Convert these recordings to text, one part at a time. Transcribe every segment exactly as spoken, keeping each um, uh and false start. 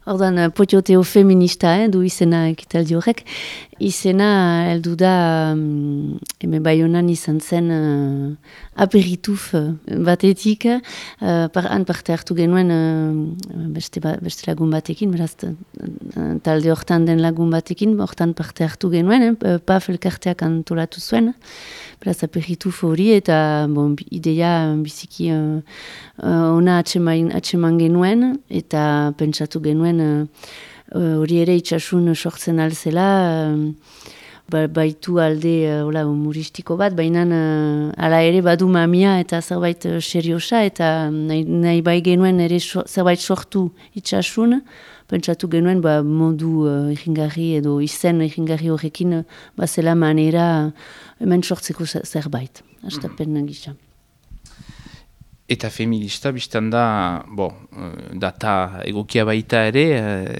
Ordan, potioteo feminista, eh, du izena ekitaldi horrek. Izena, heldu da, um, hemen Baionan izan zen uh, aperituf batetik, uh, par, han parte hartu genuen uh, beste, ba, beste lagun batekin, beraz, uh, talde hortan den lagun batekin, hortan parte hartu genuen, eh, paf elkarteak antolatu zuen, beraz, aperituf hori, eta bon, ideia biziki uh, uh, ona atseman, atseman genuen, eta pentsatu genuen hori uh, ere itxasun sortzen alzela, uh, ba, baitu alde uh, hola, humoristiko bat, baina uh, ala ere badu mamia eta zerbait uh, seriosa, eta nahi, nahi bai genuen ere so, zerbait sortu itxasun, pentsatu genuen ba, modu uh, egingarri edo izen egingarri horrekin uh, bazela manera uh, hemen sortzeko zerbait, astapen mm-hmm. gisa. Eta feminista, biztan da, bo, data egokia baita ere,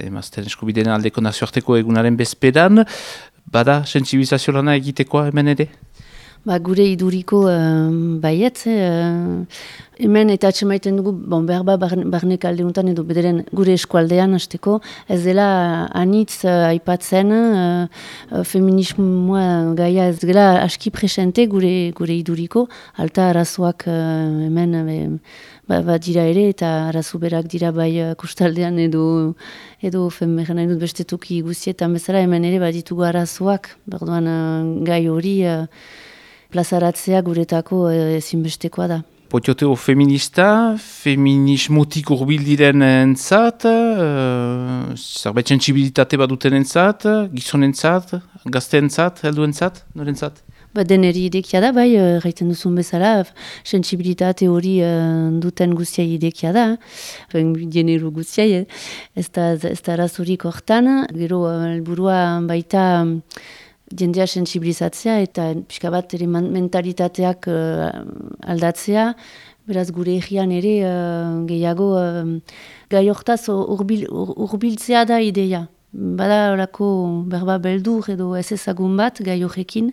emazten eskubideen aldeko nazioarteko egunaren bezperan, bada sentsibilizazio lana egitekoa hemen ere? Ba, gure iduriko uh, baiet, uh, hemen eta atxemaiten dugu, bon, behar ba, barnek alde untan edo bederen gure eskualdean hasteko, ez dela anitz uh, aipatzen, uh, feminismoa gaia ez dela aski presente gure, gure iduriko, alta arazoak uh, hemen uh, ba, ba dira ere, eta arazo berak dira bai uh, kustaldean edo edo femeran nahi dut beste toki guztietan bezala, hemen ere baditugu arazoak, berduan uh, gai hori uh, plazaratzea guretako ezinbestekoa da. Potioteo feminista, feminismotik urbil diren entzat, uh, zerbait sentsibilitate baduten entzat, gizon entzat, gazte entzat, heldu entzat, norentzat? Ba, deneri idekia da, bai, gaiten duzun bezala, sentsibilitate hori uh, duten guztiai idekia da, generu guztiai, ez da, ez da arazurik hortan, gero helburua baita jendea sensibilizatzea eta pixka bat ere mentalitateak uh, aldatzea, beraz gure egian ere uh, gehiago uh, gai hortaz urbil, ur, urbiltzea da ideia. Bada horako berba beldur edo ez ezagun bat gai horrekin,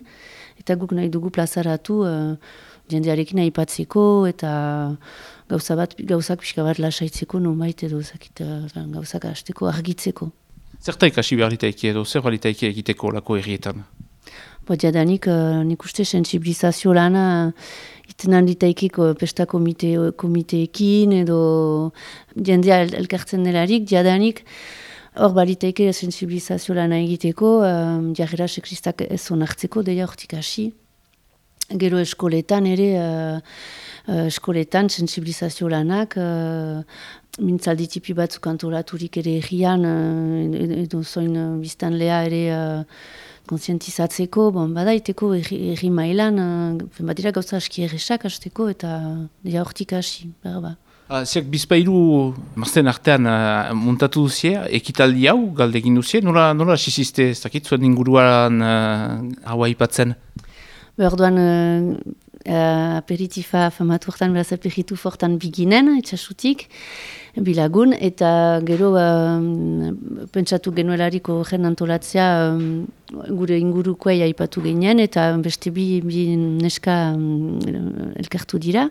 eta guk nahi dugu plazaratu uh, jendearekin aipatzeko eta gauza bat, gauzak pixka bat lasaitzeko nonbait edo zakit, uh, gauzak hasteko argitzeko. Zerta ikasi behar litaiki edo, zer litaiki egiteko lako errietan? Bo, jadanik, uh, nik uste sensibilizazio lana itenan litaikiko pesta komite, komiteekin edo jendea el, elkartzen delarik, jadanik hor balitaike sensibilizazio lana egiteko, um, jarrera sekristak ez onartzeko, deia hortik hasi. Gero eskoletan ere, uh, uh, eskoletan sensibilizazio lanak, uh, mintzaldi tipi batzuk antolaturik ere egian, uh, edo zoin uh, biztan leha ere uh, konsientizatzeko, bon, badaiteko erri mailan, uh, badira gauza aski erresak hasteko eta dira hortik hasi, berba. Ah, Ziak bizpailu mazten artean uh, muntatu duzie, ekitaldi hau galdegin duzie, nola, nola asiziste, ez dakit zuen inguruan uh, hau aipatzen? Berduan, uh, uh, aperitifa famatu hortan, beraz aperitu fortan biginen, etxasutik, bilagun, eta gero uh, pentsatu genuelariko gen antolatzea um, gure ingurukoei aipatu ginen, eta beste bi, bi neska um, elkartu dira,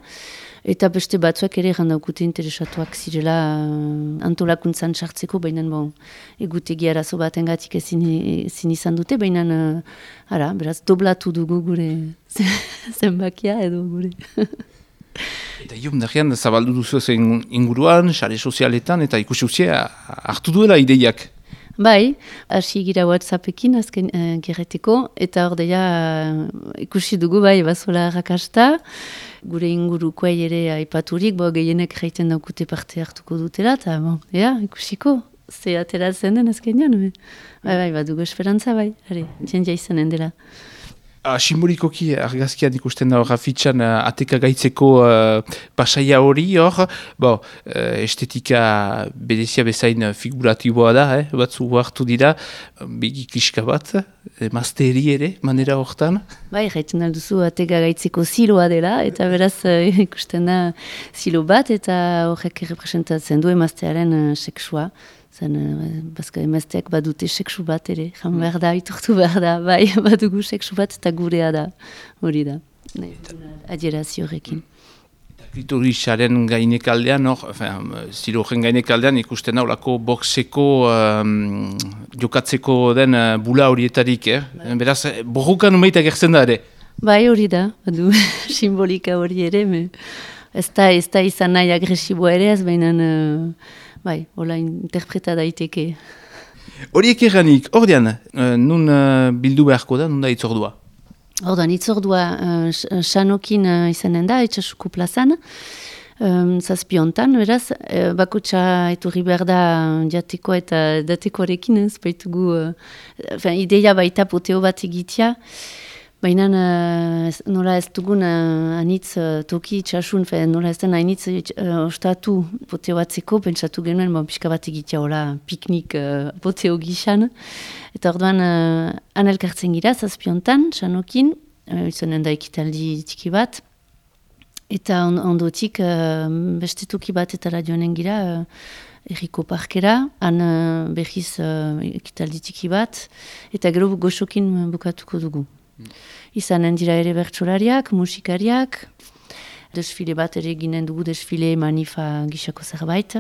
eta beste batzuak ere jandaukute interesatuak zirela uh, antolakuntzan sartzeko, baina bon, egutegi arazo baten gatik ezin, ezin izan dute, baina uh, ara, beraz, doblatu dugu gure zenbakia edo gure. Eta iom darean zabaldu duzu zen inguruan, sare sozialetan, eta ikusi uzia hartu duela ideiak. Bai, hasi gira WhatsAppekin azken uh, gerreteko, eta hor deia uh, ikusi dugu bai bazola rakasta, gure ingurukoei ere aipaturik, bo gehienek jaiten daukute parte hartuko dutela, eta bon, ea, ikusiko, ze ateratzen den azkenean, bai, bai, badugu esperantza bai, are, jendia izanen dela. Ah, simbolikoki argazkian ikusten da hor afitxan uh, ateka gaitzeko uh, pasaia hori hor, bo, uh, estetika bedezia bezain figuratiboa da, eh? Batzu hartu dira, begi kliska bat, emazteri ere, manera hortan. Bai, jaiten alduzu ateka gaitzeko ziloa dela, eta beraz uh, ikusten da zilo bat, eta horrek representatzen du emaztearen uh, seksua. Zen, uh, bazka emazteak badute seksu bat ere, jan behar da, itortu behar da, bai, badugu seksu bat eta gurea da, hori da, adierazio horrekin. Klitorisaren gainekaldean, hor, zirojen gainekaldean ikusten haulako boxeko um, jokatzeko den uh, bula horietarik, eh? Beraz, borrukan umeita gertzen da ere. Bai hori da, badu simbolika hori ere, me, ez da, ez da izan nahi agresiboa ere, ez baina, uh, bai, hola interpreta daiteke. Horiek erranik, ordean, uh, nun uh, bildu beharko da, nun da itzordua? Ordan, itzordua uh, Sanokin uh, izanen da, Itxasuko plazan, um, zazpiontan, beraz, uh, bakotxa etorri behar da jateko eta datekoarekin, ez baitugu, uh, ideia baita poteo bat egitea, baina uh, nola ez dugun uh, anitz uh, toki itxasun, fe, nola ez den anitz uh, ostatu poteo batzeko, pentsatu genuen, bon, pixka bat egitea hola piknik uh, poteo gixan. Eta orduan uh, anelkartzen gira, zazpiontan, Sanokin, uh, izanen da ekitaldi tiki bat, eta on, ondotik uh, beste toki bat eta radioanen gira, uh, Erriko parkera, han uh, behiz uh, ekitaldi tiki bat, eta gero goxokin bukatuko dugu. Izanen dira ere bertsolariak, musikariak, desfile bat ere ginen dugu, desfile manifa gixako zerbait.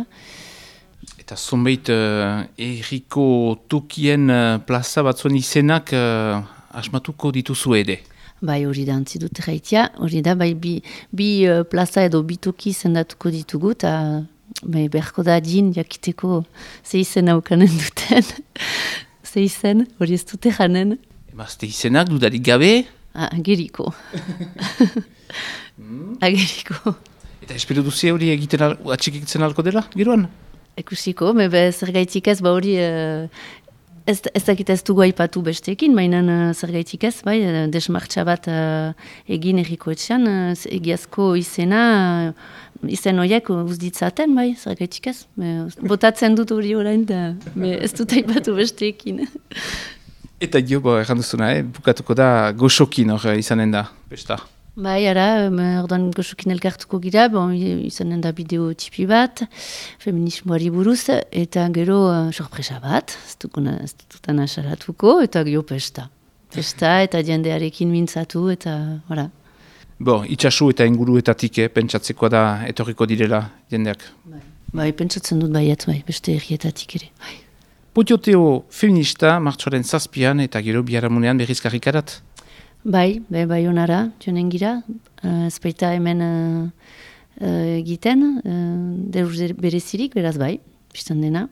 Eta zonbait uh, erriko tokien uh, plaza batzuen izenak uh, asmatuko dituzu ere. Bai hori da, antzi dut erraitia, hori da, bai bi, bi uh, plaza edo bi toki zendatuko ditugu, eta bai, berko da din jakiteko ze izen haukanen duten, ze izen, hori ez dute janen. Emazte izenak dudarik gabe? Ah, ageriko. Ageriko. Eta espero duzi hori egiten al, atxikitzen alko dela, geroan? Ekusiko, mebe zergaitik ez, ba hori uh, ez, ez dakit ez dugu aipatu besteekin, baina uh, zergaitik ez, bai, uh, desmartxa bat uh, egin erriko etxean, uh, egiazko izena, uh, izen horiek uzditzaten, bai, zergaitik ez. Me, botatzen dut hori orain, da, me, ez dut aipatu besteekin. Eta jo, bo, erran duzuna, eh? Bukatuko da goxokin hor izanen da, besta. Bai, ara, orduan goxokin elkartuko gira, bon, izanen da bideo tipi bat, feminismoari buruz, eta gero uh, sorpresa bat, ez dutan asaratuko, eta gero pesta. Pesta eta jendearekin mintzatu, eta, ora. Bo, itxasu eta inguruetatik, eh? Pentsatzeko da etorriko direla jendeak. Bai, bai pentsatzen dut baiat, bai, beste errietatik ere, bai. Potioteo feminista, martxoaren zazpian eta gero biharamunean berriz karrikarat? Bai, bai, bai honara, joanen gira, uh, ez baita hemen uh, uh, egiten, uh, deus berezirik, beraz bai, biztan dena.